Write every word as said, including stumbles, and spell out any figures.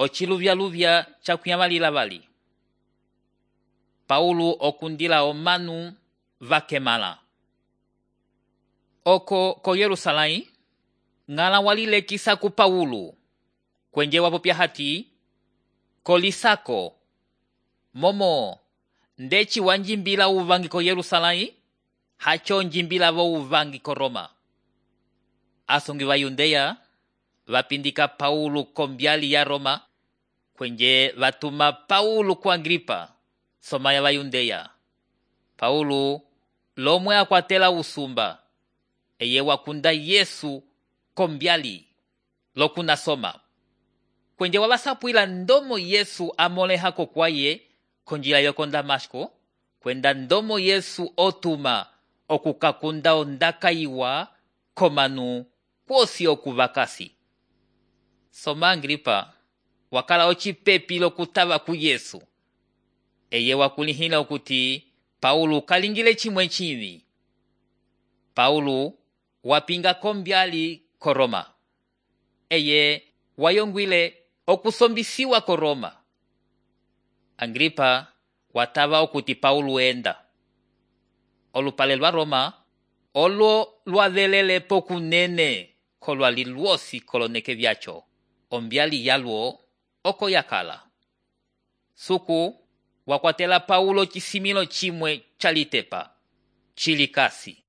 ociluvyaluvya cakuyamalila vali. Paulo okundila omanu vakemala. Oko ko Yerusalém, ngala walilekisa ku Paulo, kwenje wapopya hati, kolisako, momo, ndeci wanjimbila uvangi ko Yerusalém, hacho njimbila vo uvangi ko Roma. Asongi va Yudea, vapindika Paulo kombyali ya Roma, kwenje vatuma Paulo ku Agripa, somaya va Yudea. Paulo lomwe akwatela usumba, eye wakunda Yesu kombyali, lokuna soma. Kwenje wabasapwila ndomo Yesu amolehako kwaye, konjila yoko Damasko, kwenda ndomo Yesu otuma okukakunda ondaka iwa komanu kwosi okuvakasi. Soma Agripa, wakala ocipepi lokutava ku Yesu. Eye wakulihila okuti Paulo kalingile chimwe chivi. Paulo wapinga kombyali ko Roma. Eye wayongwile okusombisiwa ko Roma. Agripa watava okuti Paulo enda. Olupale lwa Roma, olo lwavelele pokunene kolwali lwosi koloneke vyacho. Ombyali yalwo oko yakala. Suku wakwatela Paulo chisimilo chimwe chalitepa, chilikasi.